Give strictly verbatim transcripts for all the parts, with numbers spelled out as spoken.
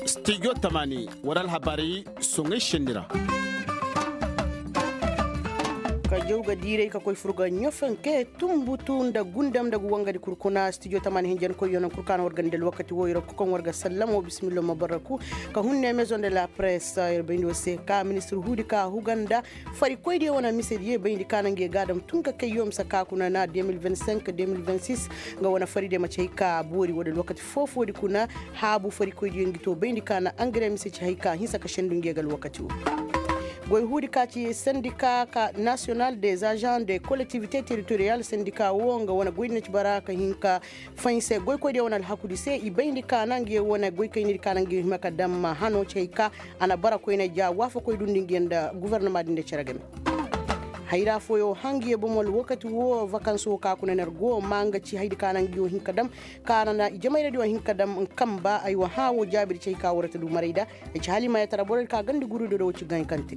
Studio tamaani war alhabaari soŋay senni ra. Ka jaw ga diiray ka koy fur ga ɲofanke tumbutu nda gundam nda ga wangadi kul kuna studio tamaani hinjankoyyo naŋ kul kaŋ war ga nda alwakati wo yer ga kokoŋ war ga sallamo bismillah ma barraku ka hunne maison de la presse yer bayndi wo se ka ministir huudi ka huga nda farikoydiyo wane misediyo bayndi ka naŋ ga ye ga a dam tun ka kayyo mise ka kuna na deux mille vingt-cinq deux mille vingt-six. Nga wane faridiyo ma ci hay ka boori wo da alwakati foofoodi kuna haabu farikoydiyo ngi to bayndi ka na angare mise ci hay ka hinsa ka sendu nge ga alwakati wo. Goy huudi ka ci sendika ka national des agents de collectivité territorial sendika wo nga wane goydi na ci bara ka hin ka fahinse goykoydiyo wane alhakudi se i bayndi ka na nge wane goykaynidi ka na nge hima ka dam hano ci hay ka a na bara koyne ja waafakoy dundi nge nda gofornoma din da cere game. Hayra fooyo hangiyo bomo alwakati wo vakanso ka kuna ner go ma nga ci haydi ka na nge wo hin ka dam ka na na i jamayradiyo hin ka dam kamba ay wa hã wo jaabidi ci hay ka war ta du maray da. Ay ci hala i ma yatara borodi ka gandi gurudiyo da wo ci gankante.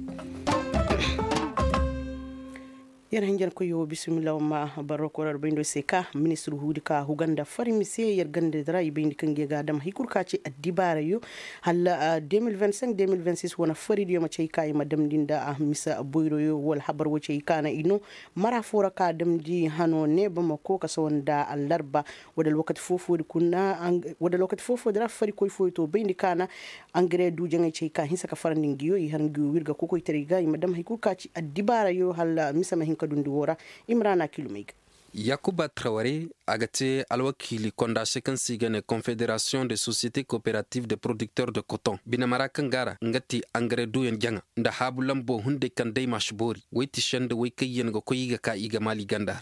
Yer hinjankoyyo bismillah ma barro korar bayndo se ka ministir huudi ka huga nda fari mise yer gandadi ra i bayndi kaŋ ga ye ga a dam hay kul ka ci addibaarayo hala deux mille vingt-cinq deux mille vingt-six wane faridiyo ma ci hay ka i ma damndi nda a misa boyroyo wala habar wo ci hay ka na i no mara fo ra ka damndi hano ne bamako ka sawa nda allarba. Wala alwakati foofoodi kuna wala alwakati foofoodi ra farikoy fooyo to bayndi ka na angare du jaŋay ci hay ka hinsa ka farandi ngiyo i har ngiyo wir ga kokoytaray ga i ma dam hay kul ka ci addibaarayo hala mise ma hin ka dundi wo ra. Imrana kilumey ga. Yakuba traware a ga te alwakiili konda se kaŋ se i ga ne confederation de société coopérative de producteur de coton bine mara kaŋ ga a ra nga ti angare duyaŋ jaŋa nda haabu lambo hunday kaŋ day ma si boori woy ti senda woy kaŋ yaŋ ga koy i ga ka i ga maali ganda ra.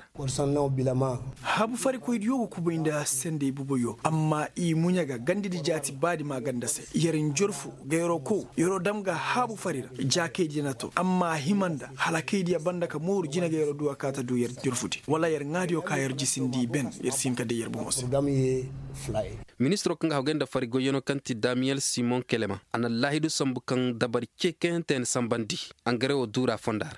Haabu farikoydiyo ga kubay nda sendey buboyo amma i muɲa ga gandidi jaati baadi ma ganda se yer njorfu ga yeroo kow yeroo dam ga haabu fari ra jaakaydiyo na to amma a hima nda hala kaydiyo banda ka mooru jina ga yeroo du a kaata du yer njorfudi wala yer ŋaadiyo ka yer jisindi ben yer si hin ka day yer bomo se. Ministiroo kaŋ ga hawgay nda fari goyyanoo kaŋ ti damiyel simon kelema a na allaahidu sambu kaŋ dabari ce kayhantey na sambandi angare wo duura fonda ra.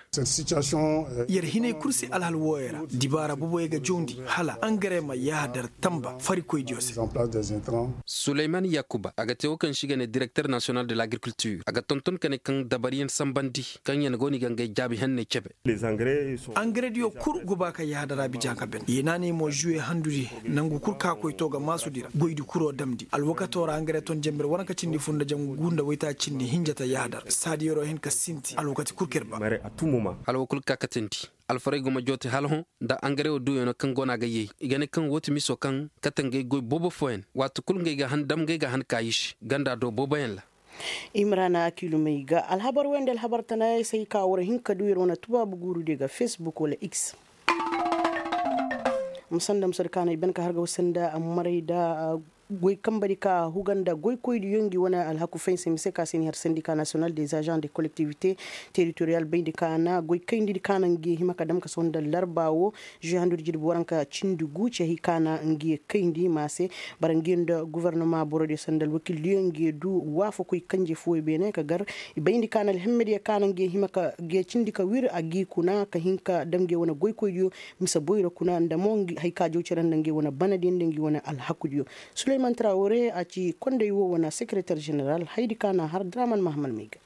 Yer hinay kul se alhal wooyo ra dibaara boboyo ga jawndi hala angare ma yaadar tamba farikoydiyo se. Suleyman yakuba a ga te wo kaŋ se i ga ne direkter nasiyonal de l'agriculture a ga tonton ka ne kaŋ dabariyaŋ sambandi kaŋ yaŋ go no i ga ngey jaabi henney cebe. Angarediyo kul go ba ka yaadara bija ka ben yeenaaney mo juwe handudi nangu kul ka koy to ga maasudi ra goydi kuroo damndi alwakatoo ra angare ton jembere waranka cindi fur nda jangu nda waytaaci cindi hinja ta yaadar saadi yeroo hin ka sinti alwakati kul ka yer ba. Hala wo kul ka katandi alfarey go ma joote hala hõ nda angare wo duuyanoo kaŋ go no a ga yay i ga ne kaŋ woo ti miso kaŋ kate ngey goy boobo fooyaŋ waati kul ngey ga han dam ngey ga han kaayi se ganda do booboyaŋ ra. Imrana kilumey ga alhabar wey nda alhabar tanaayey se hay ka war hin ka duu yer wane tubaabu guurudiyo ga facebook wala x. Ma sanda ma sori kaanay ben ka har ga war sanda maray nda goy kambadi ka huga nda goykoydiyo ngi wane alhaku fay se mise ka se ni har sandika nasiyonal des agents de collectivité territorial bayndi ka na goy kayndidi ka na ngi hima ka dam ka sohõ nda larba wo. Juwe handudi jirbi waranka cindi gu cehey ka na ngi kayndi ma se bara ngi nda gofornoma borodiyo sanda alwakildiyo ngi du waafakoy kanje fooyo beene ka gar i bayndi ka na alhemmediyo ka na ngi hima ka ngi cindi ka wir a gi kuna ka hin ka dam ngi wane goykoydiyo mise boyro kuna nda mo hay ka jaw cere nda ngi wane banadiyo nda ngi wane alhakudiyo. Suleyman trawre a ci konday wo wane sekereter jeneral haydi ka na har draman mahamal may ga.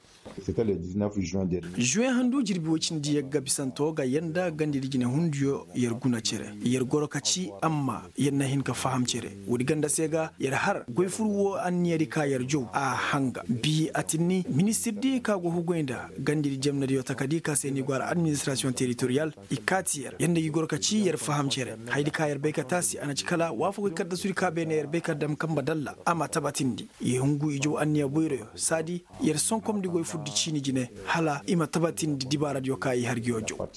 Juwe handu jirbi woy cindi yagga bisanto ga yanda gandidi jinehundiyo yer guna cere yer goro ka ci amma yer na hin ka faham cere woodi ganda se ga yer har goy fur wo anniyadi ka yer jow a hanga bi atinni ministirdi ka go hugoy nda gandidi jemnediyo takadi ka se ni go har administrasiyoŋ teritoriyal. I kaati yer yer nda gi goro ka ci yer faham cere haydi ka yer bay ka taasi a na ci kala waafakoy kaddasudi ka beene yer bay ka dam kamba dalla a ma tabatindi i hungu i jow anniya boyroyo saadi yer sonkomndi goy furdi ciini jine hala i ma tabatindi dibaaradiyo ka i har ngiyo jow.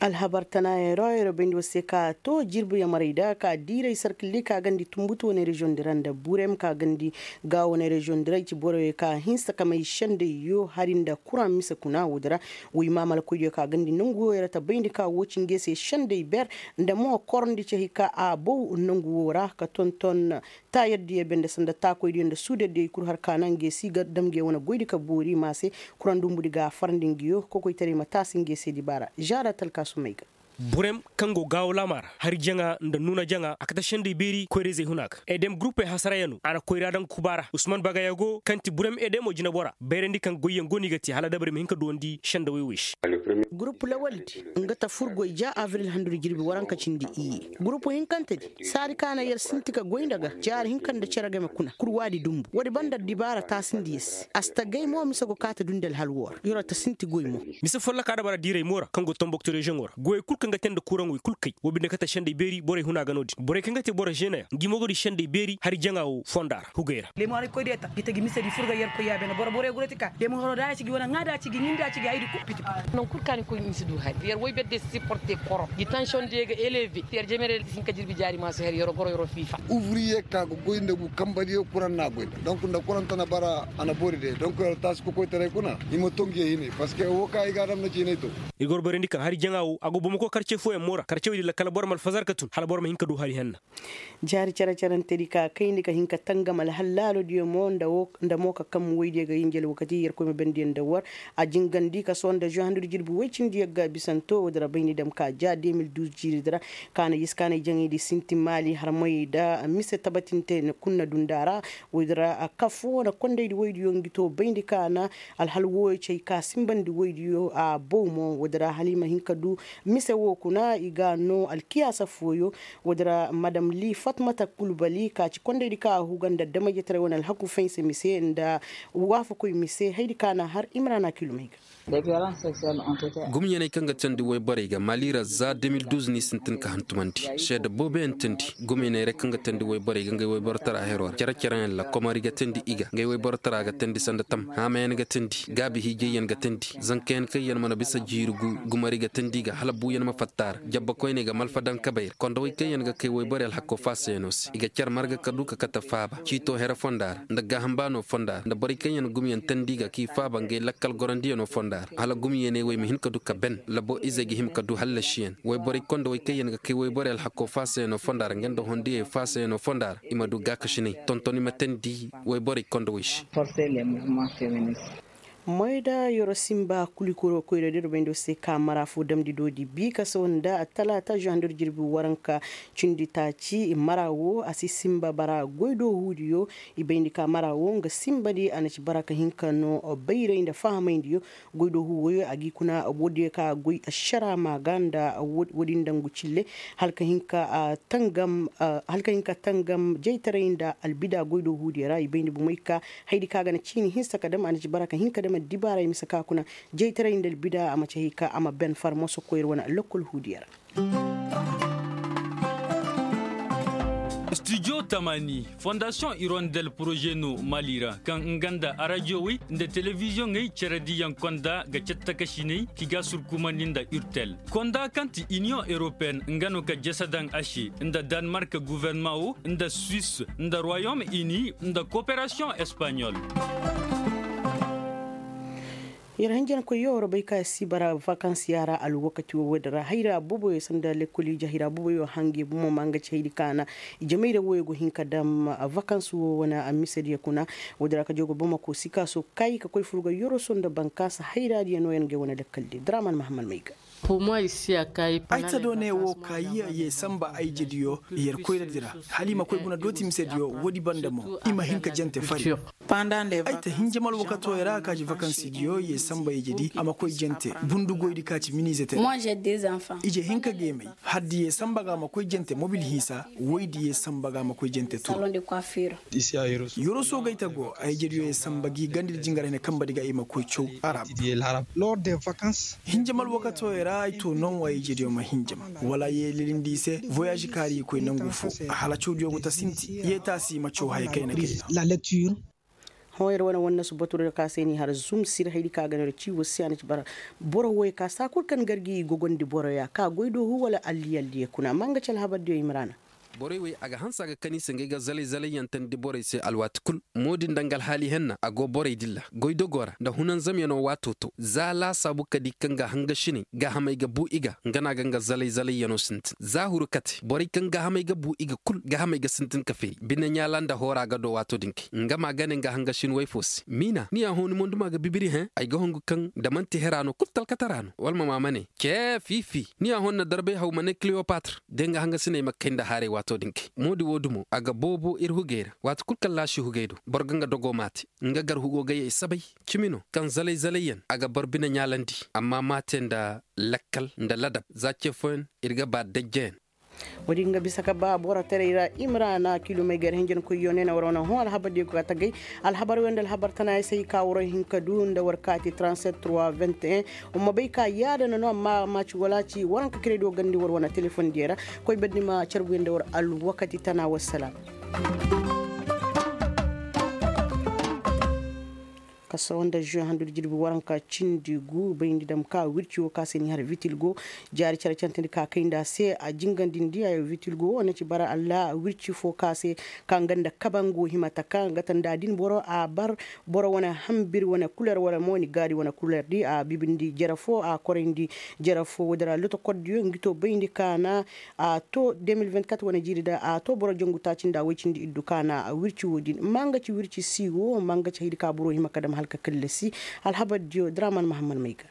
Alhabar tanaayey ra yer bayndi war se ka to jirbiyo maray da ka diiray sarkildi ka gandi tumbutu wane reziyoŋ di ra nda burem ka gandi ga wane reziyoŋ di ra i ci boroyo ka hinsa ka may sendayyo hari nda kuraŋ mise kuna woodi ra. Woy maamalakoydiyo ka gandi nangu wo yer ta bayndi ka wo ci nge se senday ber nda mo korondi cehey ka a bow nangu wo ra ka tonton taayardiyo bende sanda taakoydiyo nda suudardiyo i kul har ka na nge si ga dam nge wane goydi ka boori ma se. Kuraŋ dumbudi ga a farandi ngiyo kokoytaray ma taasi nge se dibaara zaara talkaasumey ga. Burem kaŋ go gaawo laama ra hari jaŋa nda nuuna jaŋa a kate sendey beeri koyra-izey huna ga. Edem gurupey hasarayaŋ no a na koyra daŋ kuba ra usman bagayago kaŋ ti burem edemo jinebora bayrandi kaŋ goyyaŋ go no i ga te hala dabari ma hin ka duwandi sendawey wey se. Gurupu lawaldi nga ta furgoy ja abril handudi jirbi waranka cindi iyye gurupu hinkantedi saadi ka na yer sinti ka goy nda ga jaari hinka nda cere game kuna kurwaadi dumbu woodi banda dibaara taasindi yer se a si ta gay mo mise go kaati dundi alhal woo ra yer wo ta sinti goy mo. Mise folloka dabara diiray mo ra kaŋ go tombokto reziyoŋo ra goyey kul kaŋ ga te nda kuraŋ wey kul kay wo binde kate sendey beeri borey huna ga no-din borey kaŋ ga te boro žeenayaŋ ngi mo go di sendey beeri hari jaŋa wo fonda ra hugey ra. Leemu haray koy deeta gi te gi mise di furga yerkoy yaabena boro borey gurati ka leemu haro da a ci gi wane ŋaa da a ci gi ɲin da a ci gi haydi kul piti piti. Nangu kul kaŋ a ni koy ni si du hari yer woy berde si siporte koro gi tansiyoŋ diyo ga eleve yer jemere si hin ka jirbi jaari ma si hari yer goro yer fiifa. Uvriye ka ga goy nda gu kamba diyo kuraŋ na a goy nda donk nda kuraŋ tana bara a na boori day donk yer taasi kokoytaray kuna i ma to ngi ye hinay parceque wo kaŋ ay ga a dam na ciinay to. Ir ga war bayrandi kaŋ hari jaŋa wo a go boro ma koy karce fooyaŋ mo ra karce wey di lakkal boro ma alfazar ka tun hala boro ma hin ka du hari henna. Jaari care-carantedi ka kayndi ka hin ka tangam alhal laalodiyo mo nda mo ka kam woydiyo ga yinji alwakati yerkoy ma bendiyo nda war. A jingandi ka sohõ nda žuwa handudi jirbi woy cindi yagga bisanto woodi ra bayni dam ka ja de mil duuz jiiridi ra. Kaana yis kaanay jaŋaydi sinti maali harmoy nda mise tabatinte kuna dunda ra. Woodi ra kafo na kondaydi woydiyo ngi to bayndi kaana. Alhal wooyo cay ka simbandi woydiyo a bow mo woodi ra hala i ma hin ka du mise woo kuna i ga a noo alkiyaasa fooyo. Woodi ra madam li fatmata kulbali ka ci kondaydi kaŋ a huga nda damajetaray wane alhaku faynse mise nda waafakoy mise haydi kaŋ a na har imrana kilomey ga. Gumyaney kaŋ ga teendi woyborey ga maali ra za de mil duuz n'i sintin ka hantumandi seeda booboyaŋ teendi. Gumyaney ra kaŋ ga teendi woyborey ga ngey woyborotara hero ra care-careyaŋ ra komari ga teendi i ga ngey woyborotara ga teendi sanda tam haamayaŋ ga teendi gaabi hiijayyaŋ ga teendi zankayaŋ kaŋyaŋ mana bisa jiiri gu gumari ga teendi i ga hala buuyaŋ ma fatta a ra jabbakoyney ga malfa daŋ kabey ra kondowey kaŋyaŋ ga kay woyborey alhakko faasayaŋo se i ga care marga ka du ka kate faaba ciito here fonda ra nda gaaham baano fonda ra nda borey kaŋyaŋ gumyaŋ teendi i ga k'i faaba ngey lakkal gorandiyaŋo fonda ra hala gumyaney wey ma hin ka du ka ben labo izey ga hima ka du hallasiyaŋ woyborey kondowey kaŋyaŋ ga kay woyborey alhakko faasayaŋo fonda ra nga nda hondiyey faasayaŋo fonda ra i ma du gaakasinay tontoni ma teendi woyborey kondowey se. Moyda yoro simba kulikuro koyra diro bayndo se ka mara fo damdi doodi bi ka sohõ nda talaata žuwa handu jirbi waranka cindi taaci mara wo a si simba bara goydoohuudiyo. I bayndi ka mara wo nga simbadi a na ci bara ka hin ka no bayray nda fahamayndiyo. Goydoohuu woyo a g'i kuna woodiyo ka goy ašara ma ga nda woodi ndangu cille hala ka hin ka tangam jaytaray nda albida goydoohuudiyo ra i bayndi bomey ka haydi kaŋ a ga na ciini hinsa ka dam a na ci bara ka hin ka dam addibaaray mise ka kuna jaytaray nda albida a ma ci hay ka a ma ben farmaso koyra wane lakkol huudiyo ra. Studio tamani fondasiyoŋ irondel poroze no mali ra kaŋ nga nda arajiyowey nda telebiziyoŋey cerediyaŋ konda ga cattakasiney ki ga surkumandi nda urtel konda kaŋ ti iniyoŋ europeyen nga no ka jese daŋ a se nda danmark guvernaman wo nda suwis nda royom ini nda koperasiyoŋ espanyol. Yer hanjankoy yoo war bay ka si bara vakansiya ra alwakati wo woodin ra hayra booboyo sanda lekkol ije hayra booboyo hange bomo ma nga ci haydi kaana. Ijemayrey woyo go hin ka dam vakansi wo wane a misediyo kuna. Woodin ra ka jogo bamako sikaaso kay ka koy furga yoroso nda bankaasa hayraadiyo nooyaŋ ga ay wane lekkaldiyo draman mahammad may ga. Ay ta dooney wo ka ye samba ay jediyo yer koyradi ra hala i ma koy guna dooti misediyo woodi banda mo i ma hin ka jante fari. Ay ta hinjam alwakato ya ra ka ci vakansidiyo ye samba ye jedi a ma koy jante bundugoydi ka ci minize te. Ije hinka geemey haddi ye samba ga a ma koy jante mobil hinsa woydi ye samba ga a ma koy jante turu. Yoroso gay ta go ay jediyo ye samba gi gandi da jingar hene kamba di ga i ma koy caw arab. Hinjam alwakato ya ra ay to non wa ay jediyo ma hinjam wala ye lilindi i se voyage kaari i koy nangu fo hala cawdiyo go ta sinti ye taasi i ma caw haya kayna kayna. Hõ yer wane wannasu baturo ka se ni har zum sir haydi ka ga no ra ci wasi a na ci bara. Boro woy ka saa kul kaŋ gargi i gogondi boroya ka goy do hu wala alli alli ye kuna amma nga ci alhabardiyo i ma ra na. Borey wey a ga hanse a ga kan i se ngey ga zalay-zalay yaŋ tandi borey se alwaati kul. Mo din nda nga alhaali henna a go borey dilla goydogoo ra nda hunanzamyanoo waatoo to za laasaabu ka di kaŋ ga hangasiney gaahamey ga bu i ga nga no a ga nga zalay-zalay yanoo sintin za huru kate borey kaŋ gaahamey ga bu i ga kul gaahamey ga sintin ka feeri bine ɲaala nda hoora ga do waatoo din kay nga ma a ga ne nga hangasin woy foo se miina ni a hõ ni monduma ga bibiri hẽ ay ga hongu kaŋ nda man'ti hera no kul talkatara no wala ma ma ma ne cee fiifi ni a hõ ni na darbay haw ma ne kiliyopatr de nga hangasiney ma kay nda haaray waatoo din kay mo-din woo dumo a ga boobo ir hugey ra waati kul kaŋ laasi hugey do boro ga nga dogoo maate nga gar hugoo ga yee sabay cimi no kaŋ zalay-zalay yaŋ a ga boro bine ɲaalandi amma maate nda lakkal nda ladab za ce fooyaŋ ir ga ba dajjayaŋ. Woodi nga bisa ka ba boro taray ra imrana kilomey gar hinjankoy yo ne na war wane hõ alhabar diyo ga tagay alhabar wey nda alhabar tana ya se i ka waro hin ka du nda war kaati transet trois vingt et un. Wa ma bay ka yaada na no amma a ma ci wala ci waranka kiray do gandi war wane telefon diyo ra koy bandi ma carbu ya nda war alwakati tana wassalam. Kaso nda žuwe handu da jirbi waranka cindi gu bayndi dam ka wirci wo ka se ni har vitilgo jaari care cantandi ka kay nda a se a jingandi ndi a yo vitilgo wo na ci bara allah wirci fo ka se ka nga nda kabango hima taka nga ta nda din boro a bar boro wane hambir wane kuler wala mo ni gaari wane kuler di a bibindi jere fo a korayndi jere fo wo dira lotokordiyo ngi to bayndi ka na a to deux mille vingt-quatre wane jiiri da a to boro jangu taaci nda woy cindi iddu ka na wirci wo din ma nga ci wirci si wo ma nga ci haydi ka boro hima ka dam hala ka kallasi. Alhabar diyo draman mahammad may ga.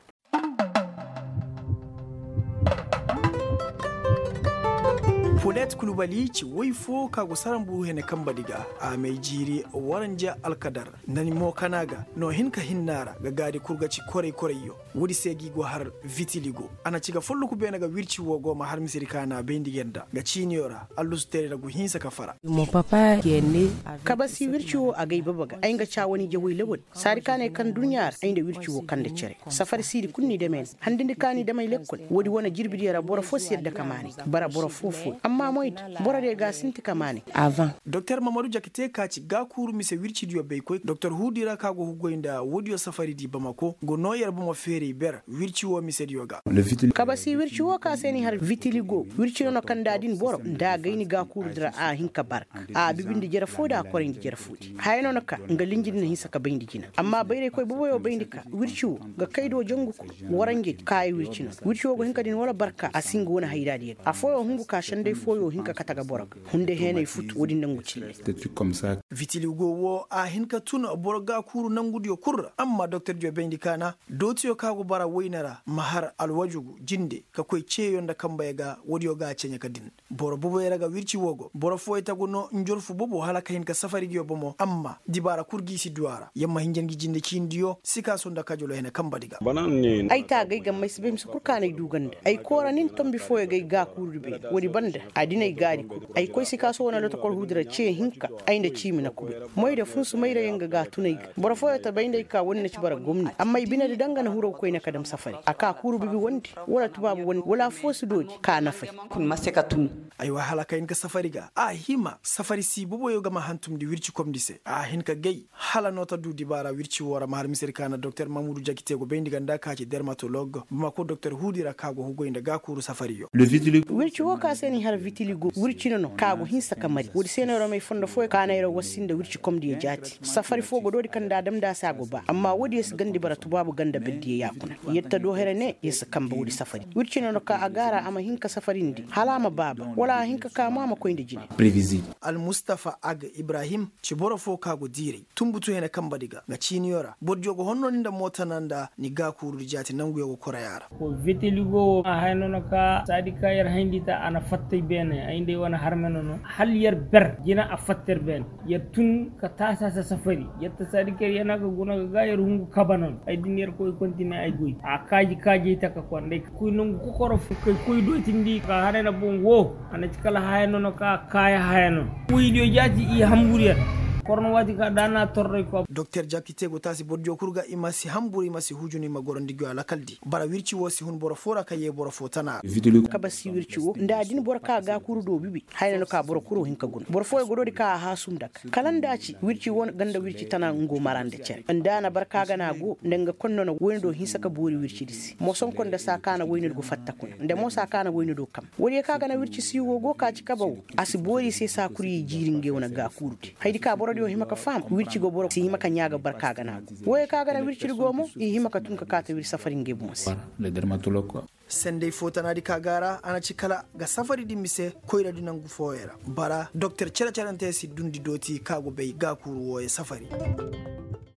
Polet kulubali ci woy fo ka go saran buru hene kamba di ga a may jiiri waranja alkadar nda ni mo kana ga no hin ka hinna ra ga gaadi kul ga ci koray-korayyo. Woodi se ga i go har vitiligo a na ci ga folloku beene ga wirci wo go ma har misedi ka na bayndi ga nda ga ciiniyo ra allusu teray ra go hinsa ka fara. Kabasi wirci wo a gay baba ga ay nga caawani jawey lawal saadi ka ne kaŋ duɲɲa ra ay nda wirci wo kande cere safari siidi kul ni dame na handindi ka ni damey lekkol woodi wane jirbidiyo ra boro fo si yadda ka maanay bara boro foo-fooyo amma moydi borodiyo ga a sinti ka maanay. Doktor mamadu jakite ka ci gaakuuru mise wircidiyo baykoy doktor huudi ra ka go ga goy nda woodiyo safaridi bamako go noo yer bomo feeray ber wirci wo misediyo ga. Kabasi wirci wo ka se ni har vitiligo wirci no na kanda din boro nda a gay ni gaakuurudi ra a hin ka barka a bibindi jere foo da a korayndi jere foodi haya no na ka nga linjidi na hinsa ka bayndi jina amma bayraykoy boboyo bayndi ka wirci wo ga kay do jangu kul waranjedi kaaya wirci no wirci wo ga hin ka din wala barka a si nga wane hayraadiyo ga afooyo hungu ka senday fooyo hin ka kate ga boro ga hunday heenay futu woodin nangu cille. Vitiligo wo a hin ka tun boro gaakuuru nangudiyo kul ra amma doktordiyo bayndi kaana dootiyo ka go bara wayne ra ma har alwajugu jinde ka koy ceeyo nda kambeyo ga woodiyo ga a ceɲe ka din boro boboyo ra ga wirci wo go boro fooyo tagu no njorfu bobo hala ka hin ka safari ngiyo bomo amma dibaara kul gi i si du a ra yer ma hinja ngi jinde ciinidiyo sikaaso nda kajolo hene kambadi ga. Ay taagay gammay si bay mise kul kaanay du ga nda ay koora nin tombi fooyo ga ay gaakuurudi beene woodi banda a din ay gaari kul ay koy sikaaso wane lotokol huudi ra cee hinka ay nda ciimi na kul moy da funsu mayra yaŋ ga ga a tun ay ga boro fooyo ta bay nda ay ka woodi na ci bara gomni amma ay binedi daŋ ga na hiro ga koyne ka dam safari a ka kuuru bibi wondi wala tubaabu wondi wala affoo si doodi ka nafay. Aywa hala ka hin ka safari ga a hima safari si boboyo ga ma hantumndi wirci komndi se a hin ka gay hala no ta du dibaara wirci woo ra ma har misedi ka na doktor mamudu jakite go bayndi ga nda ka ci dermatolog bamako doktor huudi ra ka go hugoy nda gaakuuru safariyo. Wirci woo ka se ni har vitiligo wirci no no ka go hinsa ka mari woodi se no yer may fondo fooyo ka na yer wassi nda wirci komndiyo jaati safari foo go doodi kaŋ nda a dam nda a se a go ba amma woodiyo si gandi bara tubaabu ganda berdiyo yaakuna yer ta doo here ne yer si kamba woodi safari wirci no no ka a gaara a ma hin ka safarindi hala a ma baaba wala a hin ka ka mo a ma koy nda jine. Almustafa aga ibrahim ci boro foo ka go diiray tunbutu hene kambadi ga nga ciiniyo ra bordiyo go honno ni nda mootana nda ni gaakuurudi jaati nanguyo go koray a ra. Vitiligo wo a haya no no ka saadi ka yer hayndi ta a na fattay beene ay nda ay wane harme no no hala yer ber jina a fatta yer beene yer tun ka taasa sasafari yer ta saadi ka yer yana ga guna ga ga yer hungu kaba no no ay din yer koy kontine ay goy a kaaji kaajey taka konday ka koy nangu kokoro fo kay koy dootindi ka haray na boŋ wo a na ci kala haya no no ka kaaya haya no no woydiyo jaati i hambur yer. Korno waati ka da na torray ko doktor jakite go taasi bordiyo kul ga i ma si hamburu i ma si hujunu i ma goro nda ngi a lakaldi bara wirci wo si hun boro fo ra ka yee boro fo tana. Kaba si wirci wo nda a din boro ka gaakuuru do bibi hayna no ka boro kuro hin ka guna boro fooyo go doodi ka a haasum nda ka kala nda a ci wirci wo ganda wirci tana ngo mara nda cere nda a na barka gana go nda nga konno na woyne do hinsa ka boori wircidi se mosonkon nda saa ka na woyne do go fatta kuna nda mo saa ka na woyne do kam woodiyo ka gana wirci si wo go ka ci kaba wo a si boori se saa kul ye jiiri ngey wane gaakuuru di haydi ka borodiyo hima ka faham wirci go boro si hima ka ɲaa ga barka gana go woyo ka gana wircidi go mo i hima ka tun ka kaa ta wir safari ngey boŋ se. Sendey fo tanaadi ka gaara a na ci kala ga safari di mise koyradi nangu fooyo ra bara doktor cere-cerante si dundi dooti ka go bay gaakuuru wooyo safari.